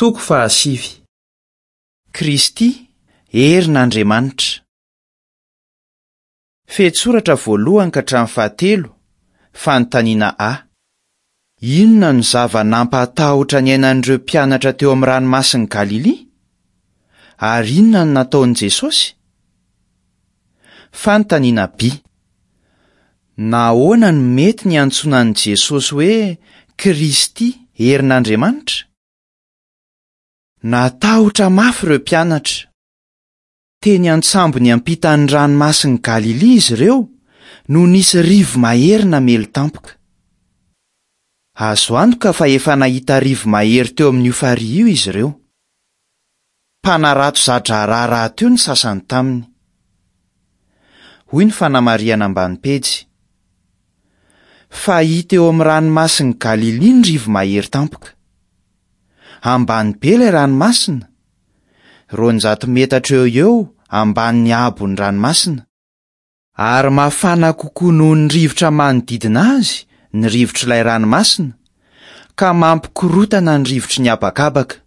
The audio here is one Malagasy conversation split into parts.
Toko fahasivy. Kristy, herin'Andriamanitra. Fehintsoratra voalohany ka hatramin'ny fahatelo, fanontaniana A. Inona no zava-nampahatahotra niainan'ireo mpianatra teo amin'ny Ranomasin'i Galilia? Ary inona no nataon'i Jesosy? Fanontaniana B. Nahoana no mety ny hiantsoana an'i Jesosy hoe Kristy herin'Andriamanitra? Natahotra mafy ireo mpianatra. Teny an-tsambo niampita ny Ranomasin'i Galilia izy ireo no nisy rivo-mahery namely tampoka. Azo antoka fa efa nahita rivo-mahery teo amin'io farihy io izy ireo. Mpanarato za-draharaha rahateo ny sasany taminy. Hoy ny fanamarihana ambany pejy, Fahita eo amin'ny Ranomasin'i Galilia ny rivo-mahery tampoka. Ambany be ilay ranomasina, 200 metatra eo ho eo ambanin'ny haabon'ny ranomasina. Ary mafana kokoa noho ny rivotra manodidina azy ny rivotr'ilay ranomasina, ka mampikorontana ny rivotry ny habakabaka.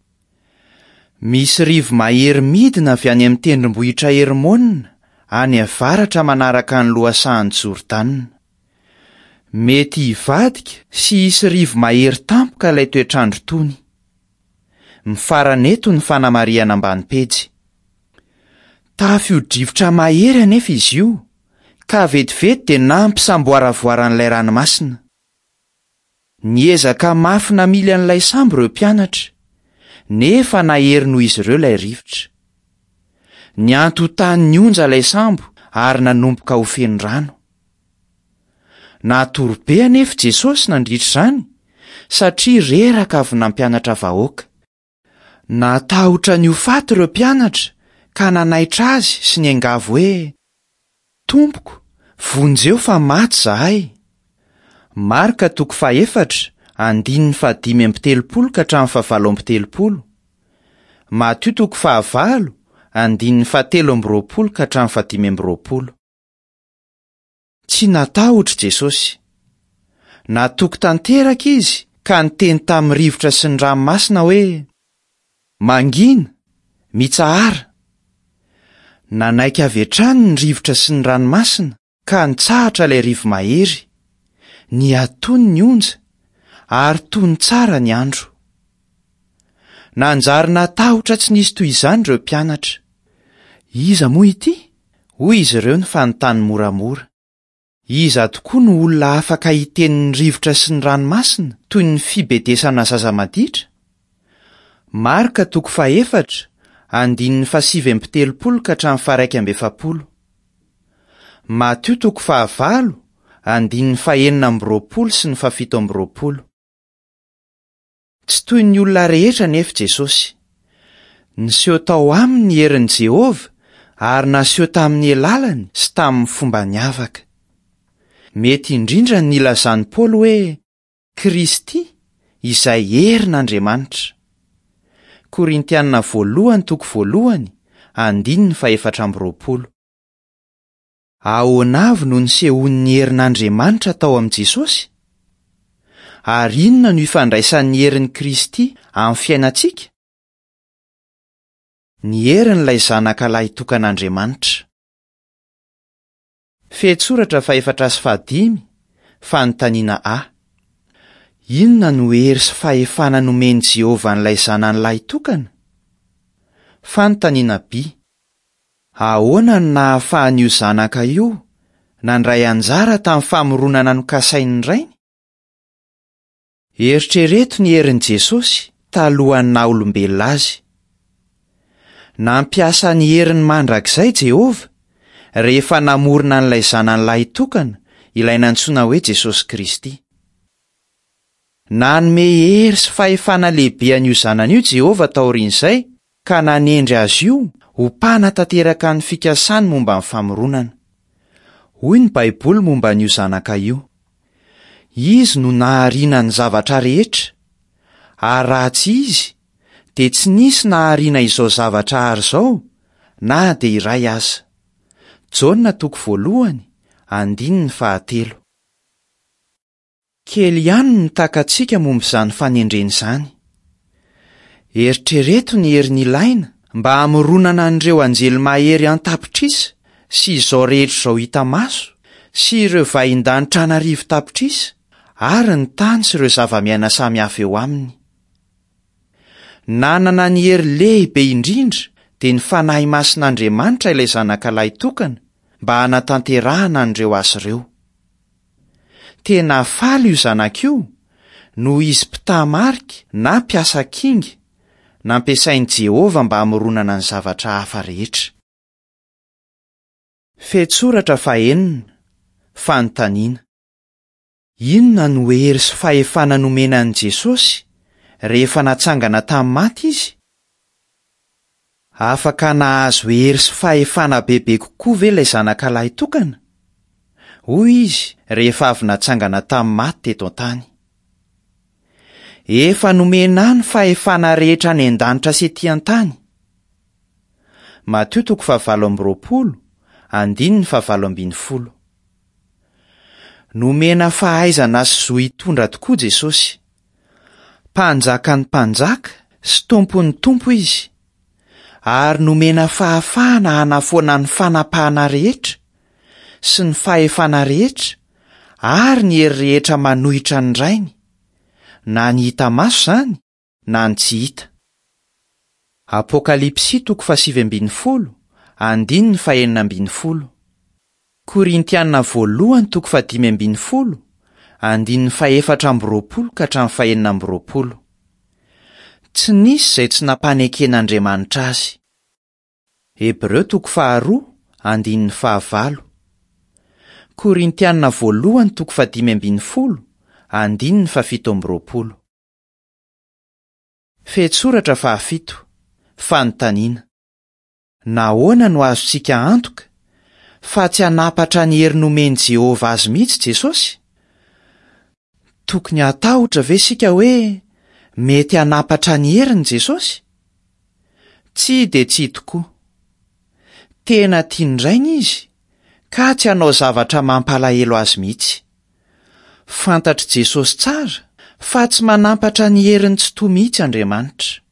Misy rivo-mahery midina avy any amin'ny tendrombohitra Hermona, any avaratra manaraka ny lohasahan'i Jordana. Mety hivadika sy hisy rivo-mahery tampoka ilay toetr'andro tony. Mifarana eto ny fanamarihana ambany pejy. Tafio-drivotra mahery anefa izy io, ka vetivety dia nampisamboaravoara an'ilay ranomasina. Niezaka mafy namily an'ilay sambo ireo mpianatra, nefa nahery noho izy ireo ilay rivotra. Niantotan'ny onja ilay sambo ary nanomboka ho feno rano. Natory be anefa Jesosy nandritra izany, satria reraka avy nampianatra vahoaka. Natahotra ny ho faty ireo mpianatra ka nanaitra azy sy niangavy hoe, Tompoko, vonjeo fa maty izahay! Marka toko fahefatra, andininy fahadimy amby telopolo ka hatramin'ny fahavalo amby telopolo. Matio toko fahavalo, andininy fahatelo amby roapolo ka hatramin'ny fahadimy amby roapolo. Tsy natahotra i Jesosy. Natoky tanteraka izy ka niteny tamin'ny rivotra sy ny ranomasina hoe, Mangina! Mitsahara! Nanaiky avy hatrany ny rivotra sy ny ranomasina ka nitsahatra ilay rivo-mahery. Nihatony ny onja, ary tony tsara ny andro. Nanjary natahotra tsy nisy toy izany ireo mpianatra. Iza moa ity? Hoy izy ireo nifanontany moramora. Iza tokoa no olona afaka hiteny ny rivotra sy ny ranomasina toy ny fibedesana zaza maditra? Marka toko fahefatra, andininy fahasivy amby telopolo ka hatramin'ny faha-iraika amby efapolo. Matio toko fahavalo, andininy fahenina amby roapolo sy ny fahafito amby roapolo. Tsy toy ny olona rehetra anefa Jesosy. Niseho tao aminy ny herin'i Jehovah ary naseho tamin'ny alalany sy tamin'ny fomba niavaka. Mety indrindra ny nilazan'i Paoly hoe Kristy izay herin'Andriamanitra. Korintiana voalohany toko voalohany, andininy fahefatra amby roapolo. Ahoana avy no nisehoan'ny herin'Andriamanitra tao amin'i Jesosy? Ary inona no ifandraisan'ny herin'i Kristy amin'ny fiainantsika? Ny herin'ilay Zanaka lahitokan'Andriamanitra. Fehintsoratra fahefatra sy fahadimy, Fanontaniana A. Inona no hery sy fahefana nomen'i Jehovah an'ilay Zanany lahitokana? Fanontaniana B. Ahoana no nahafahan'io Zanaka io nandray anjara tamin'ny famoronana nokasain'ny Rainy? Eritrereto ny herin'i Jesosy talohan'ny naha olombelona azy. Nampiasa ny heriny mandrakizay Jehovah rehefa namorona an'ilay Zanany lahitokana, ilay nantsoina hoe Jesosy Kristy. Nanome hery sy fahefana lehibe an'io Zanany io Jehovah taorian'izay, ka nanendry azy io ho mpanatanteraka ny fikasany momba ny famoronana. Hoy ny Baiboly momba an'io Zanaka io, Izy no nahariana ny zavatra rehetra, ary raha tsy Izy, dia tsy nisy nahariana izao zavatra àry izao na dia iray aza. Jaona toko voalohany, andininy fahatelo. Kely ihany ny takatsika momba izany fanendrena izany. Eritrereto ny hery nilaina mba hamoronana an'ireo anjely mahery an-tapitrisa sy izao rehetra izao hita maso, sy ireo vahindanitra an'arivo tapitrisa, ary ny tany sy ireo zavamiaina samihafa eo aminy. Nanana ny hery lehibe indrindra, dia ny fanahy masin'Andriamanitra ilay Zanaka lahitokana, mba hanatanterahana an'ireo asa ireo. Tena faly io zanaka io noho izy mpitaha-marika na mpiasa kinga nampiasain'i Jehovah mba hamoronana ny zavatra hafa rehetra. Fehintsoratra fahenina, Fanontaniana, Inona no hery sy fahefana nomena an'i Jesosy rehefa natsangana tamin'ny maty izy? Afaka nahazo hery sy fahefana bebe kokoa ve ilay Zanaka lahitokana? Hoy izy rehefa avy natsangana tamin'ny maty teto an-tany. Efa nomena ahy ny fahefana rehetra any an-danitra sy ety an-tany. Matio toko fahavalo amby 20, andininy fahavalo ambinifolo. Nomena fahaizana sy zo hitondra tokoa Jesosy. Mpanjakan'ny mpanjaka sy Tompon'ny tompo izy, ary nomena fahafahana hanafoana ny fanapahana rehetra sy ny fahefana rehetra ary ny hery rehetra manohitra ny Rainy, na ny hita maso izany na ny tsy hita. Apokalypsy toko fahasivy ambinifolo, andininy fahenina ambinifolo. Korintiana voalohany toko fahadimy ambinifolo, andininy fahefatra amby 20 ka hatramin'ny fahenina amby 20. Tsy nisy izay tsy nampaneken'Andriamanitra azy. Hebreo toko faharoa, andininy fahavalo. Korintiana voalohany toko fahadimy ambinifolo, andininy fahafito amby 20. Fehintsoratra fahafito, Fanontaniana. Nahoana no azontsika antoka fa tsy hanapatra ny hery nomen'i Jehovah azy mihitsy Jesosy? Tokony hatahotra ve isika hoe mety hanapatra ny heriny Jesosy? Tsia dia tsia tokoa. Tena tian'ny Rainy izy, ka tsy hanao zavatra mampalahelo azy mihitsy. Fantatr'i Jesosy tsara fa tsy manampatra ny heriny tsy toa mihitsy Andriamanitra.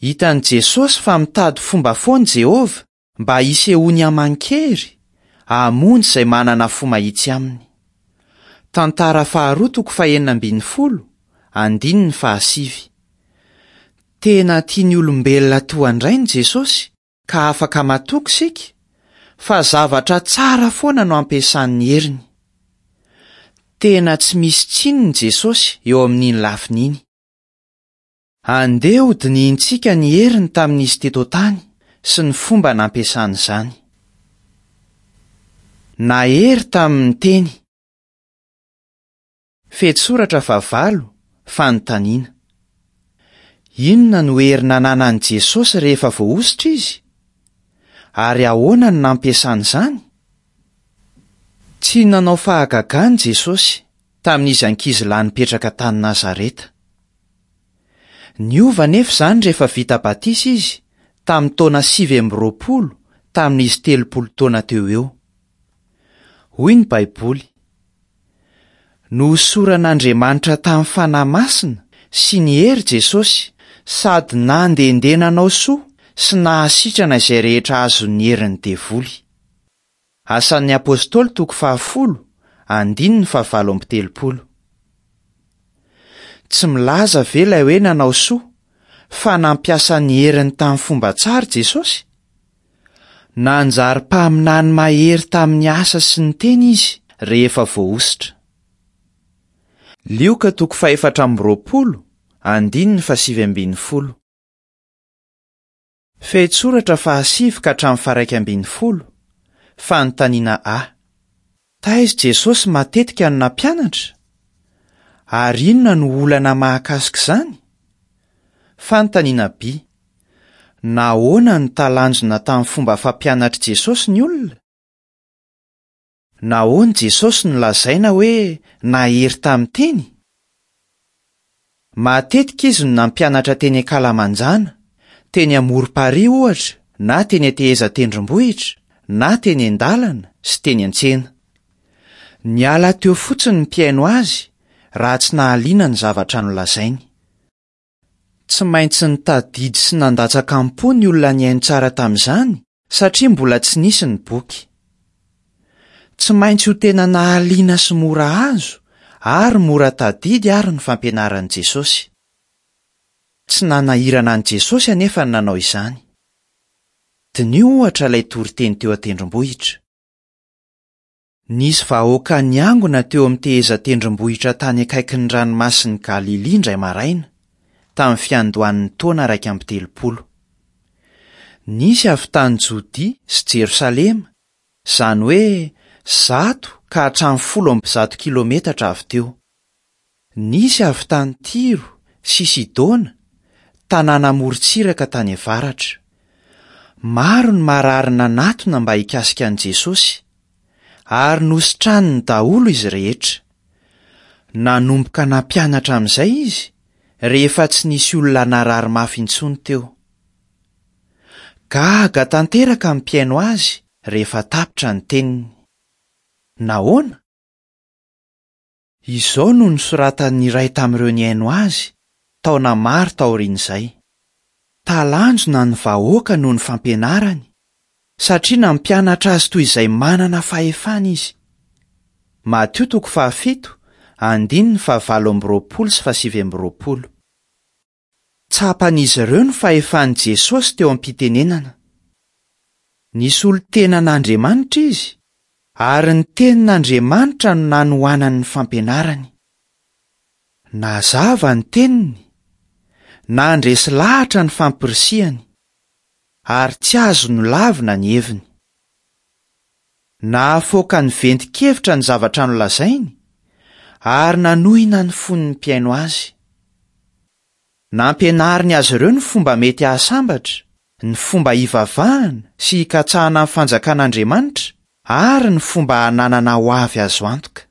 Hitan'i Jesosy fa mitady fomba foana Jehovah mba hisehoany aman-kery hamonjy izay manana fo mahitsy aminy. Tantara faharoa toko fahenina ambinifolo, andininy fahasivy. Tena tia ny olombelona toa an-dRainy Jesosy ka afaka matoky isika fa zavatra tsara foana no ampiasany ny heriny. Tena tsy misy tsininy Jesosy eo amin'iny lafiny iny. Andeha hodinihintsika ny heriny tamin'izy teto an-tany sy ny fomba nampiasany izany. Nahery tamin'ny teny. Fehintsoratra fahavalo, Fanontaniana. Inona no hery nananan'i Jesosy rehefa voahosotra izy? Ary ahoana no nampiasany izany? Tsy nanao fahagagana Jesosy tamin'izy ankizilahy nipetraka tany Nazareta. Niova anefa izany rehefa vita batisa izy tamin'ny taona 29 tamin'izy 30 taona teo ho eo. Hoy ny Baiboly, Nohosoran'Andriamanitra tamin'ny fanahy masina sy ny hery Jesosy, sady nandehandeha nanao soa sy nahasitrana izay rehetra azon'ny herin'ny devoly. Asan'ny Apostoly toko fahafolo, andininy fahavalo amby 30. Tsy milaza ve ilay hoe nanao soa fa nampiasa ny heriny tamin'ny fomba tsara Jesosy? Nanjary mpaminany mahery tamin'ny asa sy ny teny izy rehefa voahosotra. Lioka toko fahefatra amby 20, andininy fahasivy ambinifolo. Fehintsoratra fahasivy ka hatramin'ny faharaika ambinifolo, Fanontaniana A. Taiza Jesosy matetika no nampianatra? Ary inona no olana mahakasika izany? Fanontaniana B. Nahoana no talanjona tamin'ny fomba fampianatr'i Jesosy ny olona? Nahoana Jesosy no lazaina hoe nahery tamin'ny teny? Matetika izy no nampianatra teny an-kalamanjana, teny amorom-parihy ohatra, na teny an-tehezan-tendrombohitra, na teny an-dalana sy teny an-tsena. Niala teo fotsiny ny mpihaino azy raha tsy nahaliana ny zavatra nolazainy. Tsy maintsy nitadidy sy nandatsaka am-po ny olona nihaino tsara tamin'izany satria mbola tsy nisy ny boky. Tsy maintsy ho tena nahaliana sy mora azo ary mora tadidy àry ny fampianaran'i Jesosy. Tsy nanahirana an'i Jesosy anefa ny nanao izany. Diniho, ohatra, ilay toriteny teo an-tendrombohitra. Nisy vahoaka niangona teo amin'ny tehezan-tendrombohitra tany akaikin'ny Ranomasin'i Galilia indray maraina, tamin'ny fiandohan'ny taona 31. Nisy avy tany Jodia sy Jerosalema, izany hoe 100 ka hatramin'ny 110 kilometatra avy teo. Nisy avy tany Tyro sy Sidona, tanàna amoron-tsiraka tany avaratra. Maro ny marary nanatona mba hikasika an'i Jesosy, ary nositraniny daholo izy rehetra. Nanomboka nampianatra amin'izay izy, rehefa tsy nisy olona narary mafy intsony teo. Gaga tanteraka ny mpihaino azy rehefa tapitra ny teniny. Nahoana? Izao no nosoratan'ny iray tamin'ireo nihaino azy, taona maro taorian'izay, Talanjona ny vahoaka noho ny fampianarany, satria nampianatra azy toy izay manana fahefana izy. Matio toko fahafito, andininy fahavalo amby roapolo sy fahasivy amby roapolo. Tsapan'izy ireo ny fahefan'i Jesosy teo am-pitenenana. Nisolo tena an'Andriamanitra izy, ary ny Tenin'Andriamanitra no nanohanany ny fampianarany. Nazava ny teniny, nandresy lahatra ny fampirisihany, ary tsy azo nolavina ny heviny. Nahafaoka ny ventin-kevitra ny zavatra nolazainy, ary nanohina ny fon'ny mpihaino azy. Nampianariny azy ireo ny fomba mety hahasambatra, ny fomba hivavahana sy hikatsahana ny Fanjakan'Andriamanitra, ary ny fomba hananana hoavy azo antoka.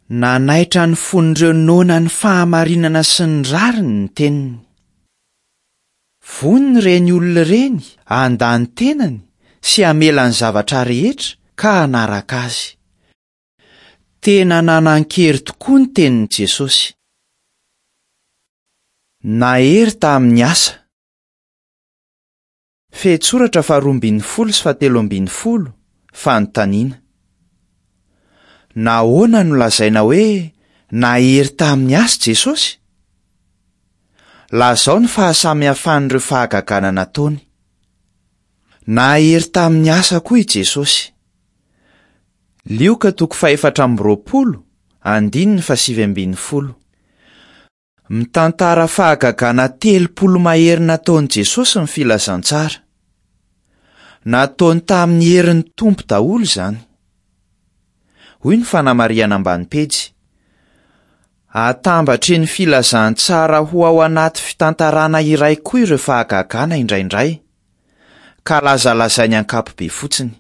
Nanaitra ny fon'ireo noana ny fahamarinana sy ny rariny ny teniny. Vonona ireny olona ireny handà ny tenany sy hamela ny zavatra rehetra ka hanaraka azy. Tena nanan-kery tokoa ny tenin'i Jesosy. Nahery tamin'ny asa. Fehintsoratra faharoa ambin'ny folo sy fahatelo ambin'ny folo, Fanontaniana. Nahoana no lazaina hoe nahery tamin'ny asa Jesosy? Lazao ny fahasamihafan'ireo fahagagana nataony. Nahery tamin'ny asa koa i Jesosy. Lioka toko fahefatra amby roapolo, andininy fahasivy ambin'ny folo. Mitantara fahagagana 30 mahery nataon'i Jesosy ny Filazantsara. Nataony tamin'ny herin'ny Tompo daholo izany. Hoy ny fanamarihana ambany pejy, Atambatry ny Filazantsara ho ao anaty fitantarana iray koa ireo fahagagana indraindray, ka lazalazainy ankapobe fotsiny.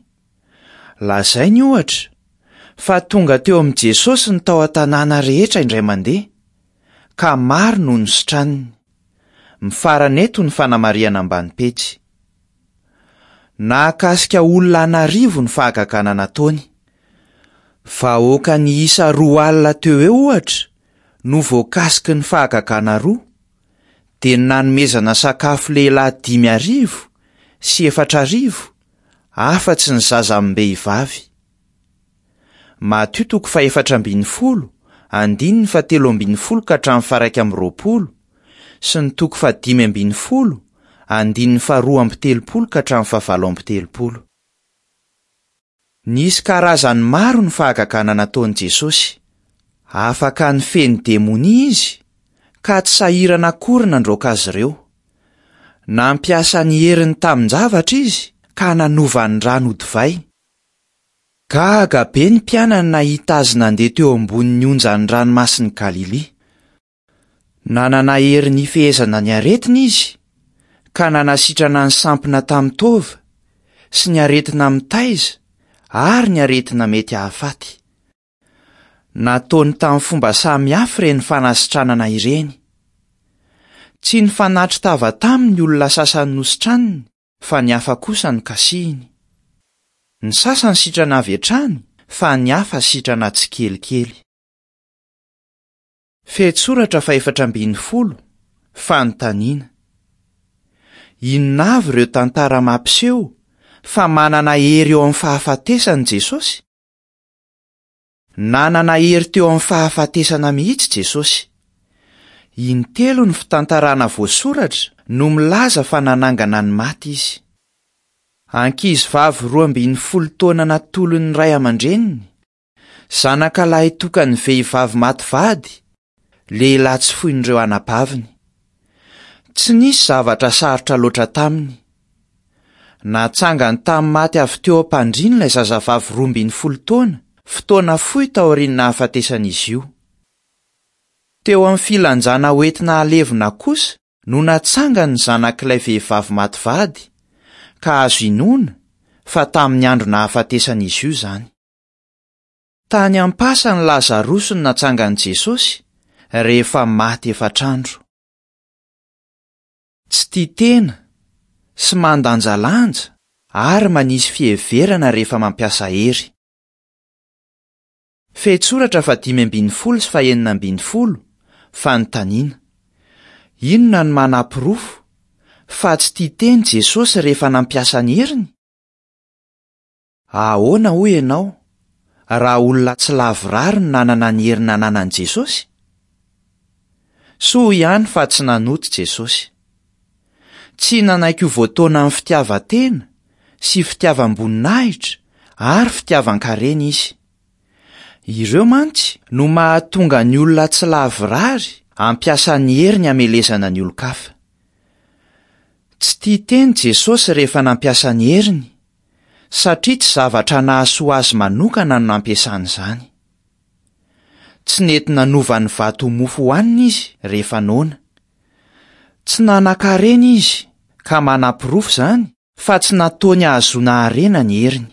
Lazainy, ohatra, fa tonga teo amin'i Jesosy ny tao an-tanàna rehetra indray mandeha, ka maro no nositraniny. Mifarana eto ny fanamarihana ambany pejy. Nahakasika olona an'arivo ny fahagagana nataony. Vahoaka niisa 20 teo eo, ohatra, no voakasiky ny fahagagana roa, dia ny nanomezana sakafo lehilahy 4400, afa-tsy ny zaza amim-behivavy. Matio toko fahefatra ambin'ny folo, andininy fahatelo ambin'ny folo ka hatramin'ny faha-21, sy ny toko fahadimy ambin'ny folo, andininy faharoa amby telopolo ka hatramin'ny fahavalo amby telopolo. Nisy karazany maro ny fahagagana nataon'i Jesosy. Afaka nifehy ny demonia izy, ka tsy sahirana akory nandroaka azy ireo. Nampiasa ny heriny tamin-javatra izy ka nanova ny rano ho divay. Gaga be ny mpianany nahita azy nandeha teo ambonin'ny onjan'ny Ranomasin'i Galilia. Nanana hery nifehezana ny aretina izy, ka nanasitrana ny sampona tamin'ny taova, sy ny aretina mitaiza ary ny aretina mety hahafaty. Nataony tamin'ny fomba samy hafa ireny fanasitranana ireny. Tsy nifanatri-tava taminy ny olona sasany nositraniny fa ny hafa kosa nokasihiny. Ny sasany sitrana avy hatrany fa ny hafa sitrana tsikelikely. Fehintsoratra fahefatra ambin'ny folo, Fanontaniana, Inona avy ireo tantara mampiseho fa manana hery eo amin'ny fahafatesana i Jesosy? Nanana hery teo amin'ny fahafatesana mihitsy Jesosy. Intelo ny fitantarana voasoratra no milaza fa nanangana ny maty izy. Ankizivavy 12 taona natolon'ny ray aman-dreniny, zanaka lahitokan'ny vehivavy maty vady, lehilahy tsy foin'ireo anabaviny. Tsy nisy zavatra sarotra loatra taminy. Natsangany tamin'ny maty avy teo am-pandriany ilay zazavavy 12 taona, fotoana fohy taorian'ny nahafatesan'izy io. Teo amin'ny filanjana hoentina halevina kosa no natsangany ny zanak'ilay vehivavy maty vady, ka azo inoana fa tamin'ny andro nahafatesan'izy io izany. Tany am-pasan'i Lazarosy no natsangan'i Jesosy rehefa maty efatr'andro. Tsy tia tena sy mandanjalanja ary manisy fiheverana rehefa mampiasa hery. Fehintsoratra faha-15 sy faha-16, Fanontaniana, Inona no manaporofo fa tsy tia tena Jesosy rehefa nampiasa ny heriny? Ahoana hoy ianao raha olona tsy lavorary no nanana ny hery nananan'i Jesosy? Soa ihany fa tsy nanota Jesosy. Tsy nanaiky ho voataonan'ny fitiavan-tena sy fitiavam-boninahitra ary fitiavan-karena izy. Ireo mantsy no mahatonga ny olona tsy lavorary hampiasa ny heriny hamelezana ny olon-kafa. Tsy tia tena Jesosy rehefa nampiasa ny heriny, satria tsy zavatra nahasoa azy manokana no nampiasany izany. Tsy nety nanova ny vato ho mofo hohanina izy rehefa noana. Tsy nanan-karena izy, ka manaporofo izany fa tsy nataony hahazoana harena ny heriny.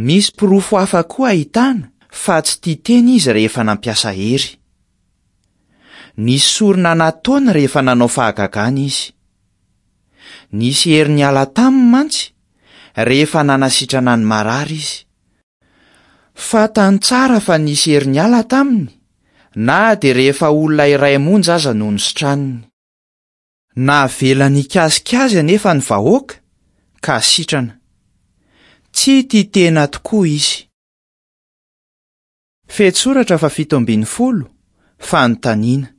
Misy porofo hafa koa ahitana fa tsy tia tena izy rehefa nampiasa hery. Nisy sorona nataony rehefa nanao fahagagana izy. Nisy hery niala taminy mantsy rehefa nanasitrana ny marary izy. Fantany tsara fa nisy hery niala taminy na dia rehefa olona iray monja aza no nositraniny. Navelany hikasika azy anefa ny vahoaka ka sitrana. Tsy tia tena tokoa izy. Fehintsoratra faha-17, Fanontaniana,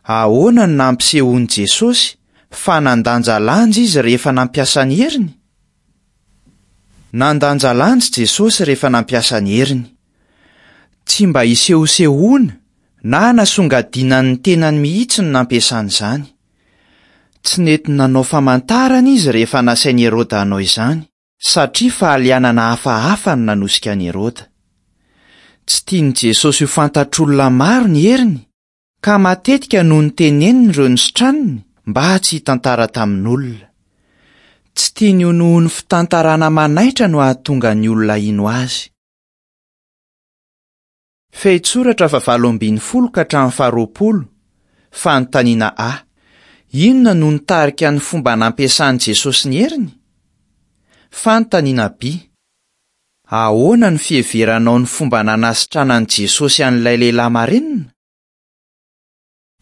Ahoana no nampisehoan'i Jesosy fa nandanjalanja izy rehefa nampiasa ny heriny? Nandanjalanja Jesosy rehefa nampiasa ny heriny. Tsy mba hisehosehoana na hanasongadinany ny tenany mihitsy no nampiasany izany. Tsy nety nanao famantarana izy rehefa nasain'i Heroda hanao izany. Satria fahalianana hafahafa no nanosika an'i Heroda. Tsy tian'i Jesosy ho fantatr'olona maro ny heriny, ka matetika no noteneniny ireo nositraniny mba tsy hitantara tamin'olona. Tsy tiany ho noho ny fitantarana manaitra no hahatonga ny olona hino azy. Fehintsoratra faha-18 ka hatramin'ny faha-20, Fanontaniana A, Inona no nitarika ny fomba nampiasan'i Jesosy ny heriny? Fanontaniana B, Ahoana no fiheveranao ny fomba nanasitranan'i Jesosy an'ilay lehilahy marenina?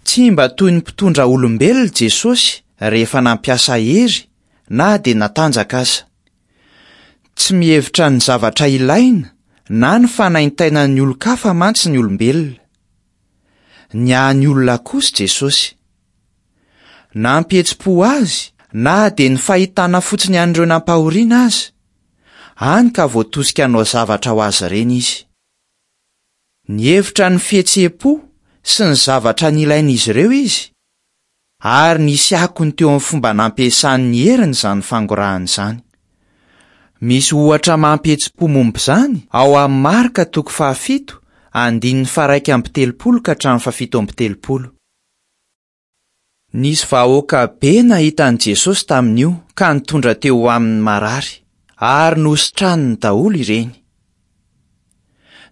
Tsy mba toy ny mpitondra olombelona Jesosy rehefa nampiasa hery na dia natanjaka aza. Tsy mihevitra ny zavatra ilaina na ny fanaintainan'ny olon-kafa mantsy ny olombelona. Niahy ny olona kosa Jesosy. Nampihetsi-po azy na dia ny fahitana fotsiny an'ireo nampahoriana aza, hany ka voatosika hanao zavatra ho azy ireny izy. Nihevitra ny fihetseham-po sy ny zavatra nilain'izy ireo izy, ary nisy akony teo amin'ny fomba nampiasany ny heriny izany fangorahana izany. Misy ohatra mampihetsi-po momba izany ao amin'ny Marka toko fahafito, andininy faha-31 ka hatramin'ny faha-37. Nisy vahoaka be nahita an'i Jesosy tamin'io ka nitondra teo aminy marary, ary nositraniny daholo ireny.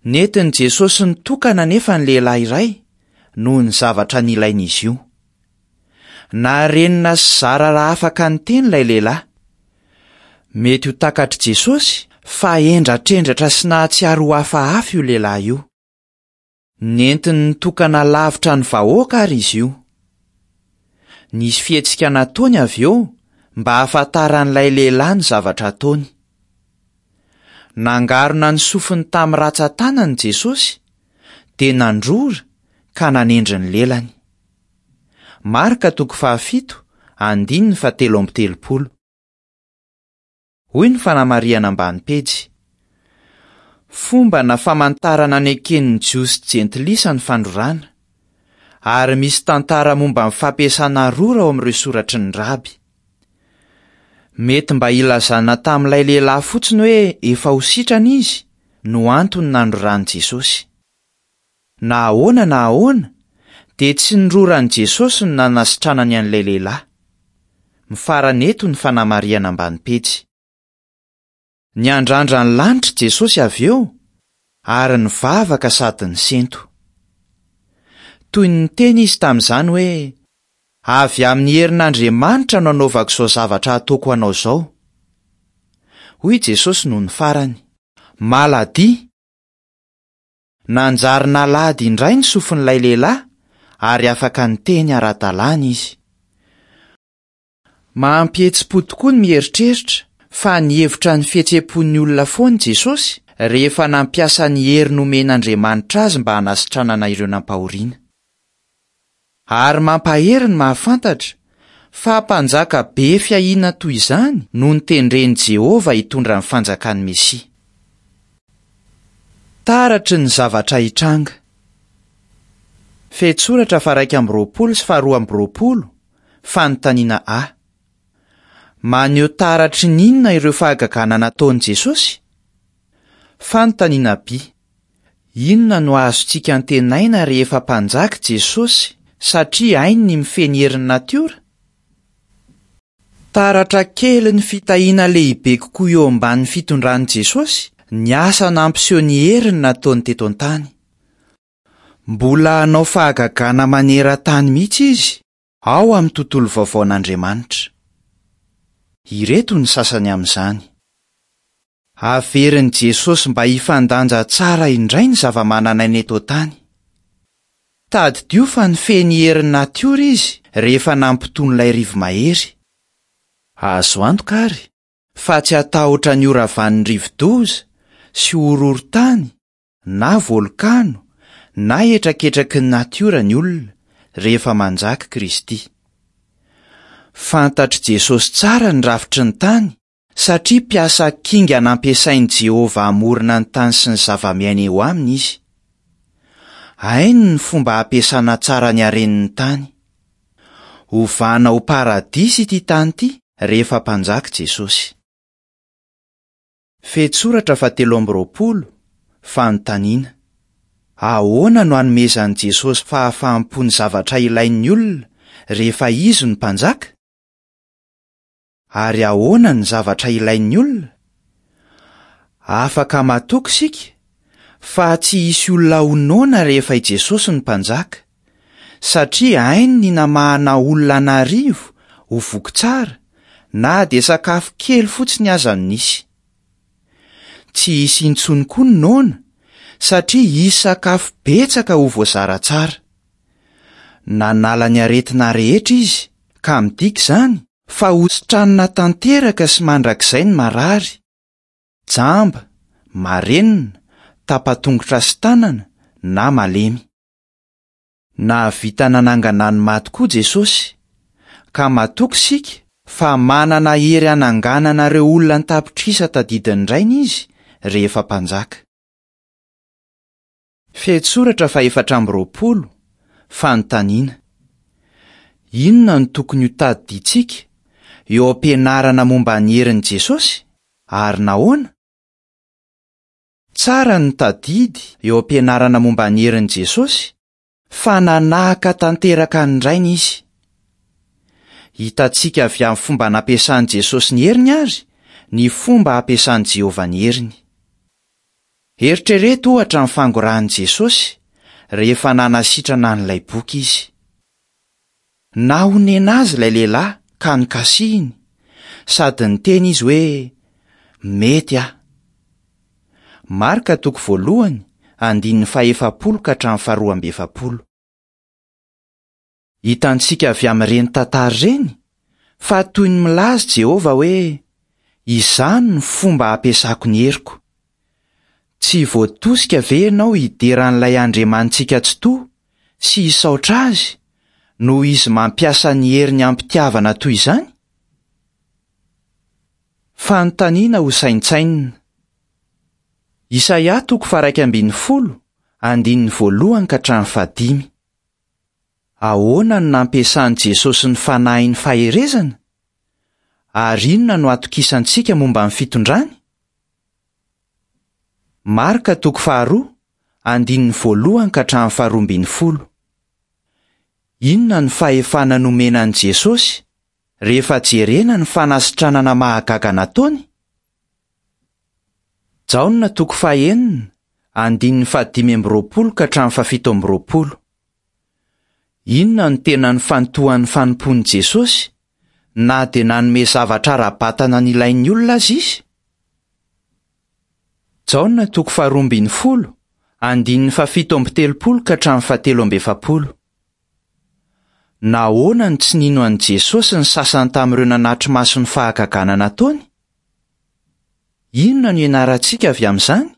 Nentin'i Jesosy nitokana anefa ny lehilahy iray noho ny zavatra nilain'izy io. Narenina sy zara raha afaka niteny ilay lehilahy. Mety ho takatr'i Jesosy fa hendratrendratra sy nahatsiaro ho hafahafa io lehilahy io. Nentiny nitokana lavitra ny vahoaka àry izy io. Nisy fihetsika nataony avy eo mba hahafantaran'ilay lehilahy ny zavatra ataony. Nangarona ny sofiny tamin'ny rantsan-tanany Jesosy, dia nandrora ka nanendry ny lelany. Marka toko fahafito, andininy fahatelo amby telopolo. Hoy ny fanamarihana ambany pejy. Fomba na famantarana neken'ny Jiosy jentilisa ny fandrorana, ary misy tantara momba ny fampiasana rora ao amin'ireo soratry ny raby. Mety mba hilazana tamin'ilay lehilahy fotsiny hoe efa ho sitrana izy no antony nandroran'i Jesosy. Na ahoana na ahoana, dia tsy ny roran'i Jesosy no nanasitranany an'ilay lehilahy. Mifarana eto ny fanamarihana ambany pejy. Niandrandra ny lanitra Jesosy avy eo ary nivavaka sady nisento. Toy ny niteny izy tamin'izany hoe, Avy amin'ny herin'Andriamanitra no anaovako izao zavatra ataoko anao izao. Hoy Jesosy nony farany, Maladia! Nanjary nalady indray ny sofin'ilay lehilahy ary afaka niteny ara-dalàna izy. Mampihetsi-po tokoa ny mieritreritra fa nihevitra ny fihetseham-pon'ny olona foana i Jesosy rehefa nampiasa ny hery nomen'Andriamanitra azy mba hanasitranana ireo nampahoriana. Ary mampahery ny mahafantatra fa Mpanjaka be fiahiana toy izany no notendren'i Jehovah hitondra ny Fanjakan'ny Mesia. Taratry ny zavatra hitranga. Fehintsoratra faha-21 sy faha-22, Fanontaniana A. Maneho taratry ny inona ireo fahagagana nataon'i Jesosy? Fanontaniana B. Inona no azontsika antenaina rehefa Mpanjaka Jesosy satria hainy ny mifehy ny herin'ny natiora? Taratra kely ny fitahiana lehibe kokoa eo ambanin'ny fitondran'i Jesosy ny asa nampiseho ny heriny nataony teto an-tany. Mbola hanao fahagagana maneran-tany mihitsy izy ao amin'ny tontolo vaovaon'Andriamanitra. Ireto ny sasany amin'izany. Averin'i Jesosy mba hifandanja tsara indray ny zava-manan'aina eto an-tany. Tadidio fa nifehy ny herin'ny natiora izy rehefa nampitony ilay rivo-mahery. Azo antoka àry fa tsy hatahotra ny horavan'ny rivo-doza sy horohorontany na volkano na hetraketraky ny natiora ny olona rehefa manjaka Kristy. Fantatr'i Jesosy tsara ny rafitry ny tany Satria mpiasa kinga nampiasain'i Jehovah hamorona ny tany sy ny zavamiaina eo aminy izy. Hainy ny fomba hampiasana tsara ny haren'ny tany. Hovana ho paradisa ity tany ity rehefa Mpanjaka Jesosy. Fehintsoratra fahatelo amby roapolo, Fanontaniana, Ahoana no hanomezan'i Jesosy fahafaham-po ny zavatra ilain'ny olona rehefa izy no Mpanjaka? Ary ahoana ny zavatra ilain'ny olona? Afaka matoky isika fa tsy hisy olona ho noana rehefa i Jesosy no Mpanjaka, satria hainy ny namahana olona an'arivo ho voky tsara, na dia sakafo kely fotsiny aza no nisy. Tsy hisy intsony koa ny noana, satria hisy sakafo betsaka ho voazara tsara. Nanala ny aretina rehetra izy, ka midika izany fa hositranina tanteraka sy mandrakizay ny marary, jamba, marenina, tapa-tongotra sy tanana, na malemy. Nahavita nanangana ny maty koa Jesosy, ka matoky isika fa manana hery hananganana ireo olona an-tapitrisa tadidin'ny Rainy izy rehefa Mpanjaka. Fehintsoratra fahefatra amby roapolo, Fanontaniana, Inona no tokony hotadidiantsika eo am-pianarana momba ny herin'i Jesosy, ary nahoana? Tsara ny mitadidy eo am-pianarana momba ny herin'i Jesosy fa nanahaka tanteraka ny Rainy izy. Hitantsika avy amin'ny fomba nampiasan'i Jesosy ny heriny àry ny fomba ampiasan'i Jehovah ny heriny. Eritrereto ohatra ny fangorahan'i Jesosy rehefa nanasitrana an'ilay boka izy. Nahonena azy ilay lehilahy ka nokasihiny, sady niteny izy hoe, Mety aho. Marka toko voalohany, andininy fahefapolo ka hatramin'ny faharoa amby efapolo. Hitantsika avy amin'ireny tantara ireny fa toy ny milaza Jehovah hoe, Izany no fomba hampiasako ny heriko. Tsy voatosika ve ianao hidera an'ilay Andriamanitsika Tsitoha sy hisaotra azy noho izy mampiasa ny heriny amim-pitiavana toy izany? Fanontaniana hosaintsainina. Isaia toko faha-11, andininy voalohany ka hatramin'ny fahadimy. Ahoana no nampiasan'i Jesosy ny fanahin'ny faherezana? Ary inona no atokisantsika momba ny fitondrany? Marka toko faharoa, andininy voalohany ka hatramin'ny faharoa ambin'ny folo. Inona no fahefana nomena an'i Jesosy, rehefa jerena ny fanasitranana mahagaga nataony? Jaona toko fahenina, andininy fahadimy amby roapolo ka hatramin'ny fahafito amby roapolo. Inona no tena nifantohan'ny fanompoan'i Jesosy, na dia nanome zavatra ara-batana nilain'ny olona aza izy? Jaona toko faharoa ambin'ny folo, andininy fahafito amby telopolo ka hatramin'ny fahatelo amby efapolo. Nahoana no tsy nino an'i Jesosy ny sasany tamin'ireo nanatri-maso ny fahagagana nataony? Inona no ianarantsika avy amin'izany?